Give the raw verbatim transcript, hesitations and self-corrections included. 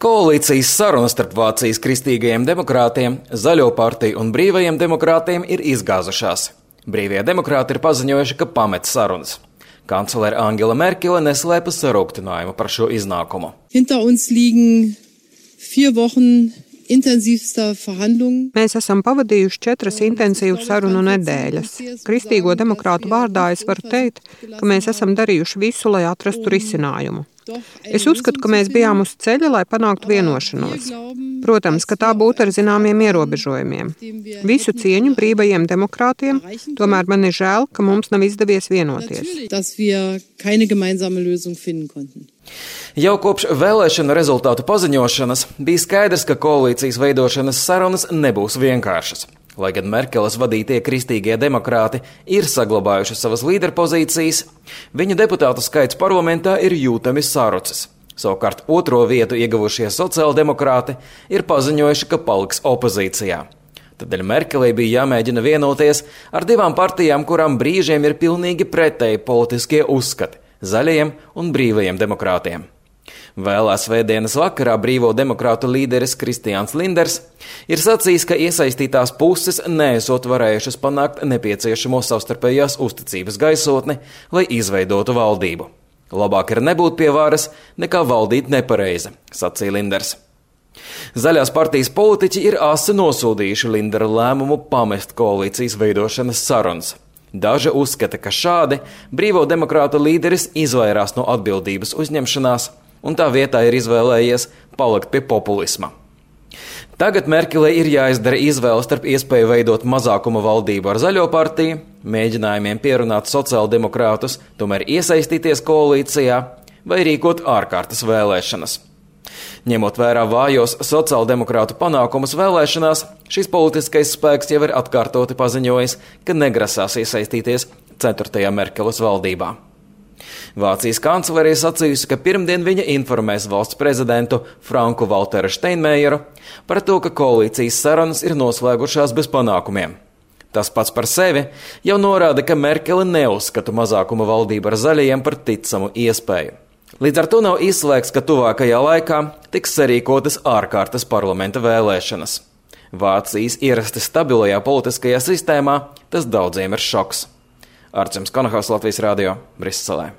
Koalīcijas sarunas starp Vācijas kristīgajiem demokrātiem, Zaļo partiju un Brīvajiem demokrātiem ir izgāzušās. Brīvie demokrāti ir paziņojuši, ka pamet sarunas. Kanclere Angela Merkele neslēpa sarūktinājumu par šo iznākumu. Hinter uns liegen vier Wochen intensīvstā verhandlungen. Mēs esam pavadījuši četras intensīvu sarunu nedēļas. Kristīgo demokrātu vārdā es varu teikt, ka mēs esam darījuši visu, lai atrastu risinājumu. Es uzskatu, ka mēs bijām uz ceļa, lai panāktu vienošanos. Protams, ka tā būtu ar zināmiem ierobežojumiem. Visu cieņu Brīvajiem demokrātiem, tomēr man ir žēl, ka mums nav izdevies vienoties. Jau kopš vēlēšanu rezultātu paziņošanas bija skaidrs, ka koalīcijas veidošanas sarunas nebūs vienkāršas. Lai gan Merkeles vadītie kristīgie demokrāti ir saglabājuši savas līderpozīcijas, viņu deputātu skaits parlamentā ir jūtami sarucis. Savukārt otro vietu ieguvušie sociāldemokrāti ir paziņojuši, ka paliks opozīcijā. Tādēļ Merkelei bija jāmēģina vienoties ar divām partijām, kurām brīžiem ir pilnīgi pretēji politiskie uzskati – Zaļajiem un Brīvajiem demokrātiem. Vēlā svētdienas vakarā Brīvo demokrātu līderis Kristians Linders ir sacījis, ka iesaistītās puses neesot varējušas panākt nepieciešamo savstarpējās uzticības gaisotni, lai izveidotu valdību. Labāk ir nebūt pie varas, nekā valdīt nepareizi, sacīja Linders. Zaļās partijas politiķi ir asi nosūdījuši Lindera lēmumu pamest koalīcijas veidošanas sarunas. Daži uzskata, ka šādi Brīvo demokrātu līderis izvairās no atbildības uzņemšanās, un tā vietā ir izvēlējies palikt pie populisma. Tagad Merkelei ir jāizdara izvēle starp iespēju veidot mazākuma valdību ar Zaļo partiju, mēģinājumiem pierunāt sociāldemokrātus, tomēr iesaistīties koalīcijā vai rīkot ārkārtas vēlēšanas. Ņemot vērā vājos sociāldemokrātu panākumus vēlēšanās, šis politiskais spēks jau ir atkārtoti paziņojis, ka negrasās iesaistīties ceturtajā Merkeles valdībā. Vācijas kanclere ir sacījusi, ka pirmdien viņa informēs valsts prezidentu Franku Valteru Steinmeieru par to, ka koalīcijas sarunas ir noslēgušās bez panākumiem. Tas pats par sevi jau norāda, ka Merkele neuzskata mazākuma valdību ar zaļajiem par ticamu iespēju. Līdz ar to nav izslēgts, ka tuvākajā laikā tiks sarīkotas ārkārtas parlamenta vēlēšanas. Vācijas ierasti stabilajā politiskajā sistēmā tas daudziem ir šoks. Arcims Konahaus, Latvijas radio, Briselē.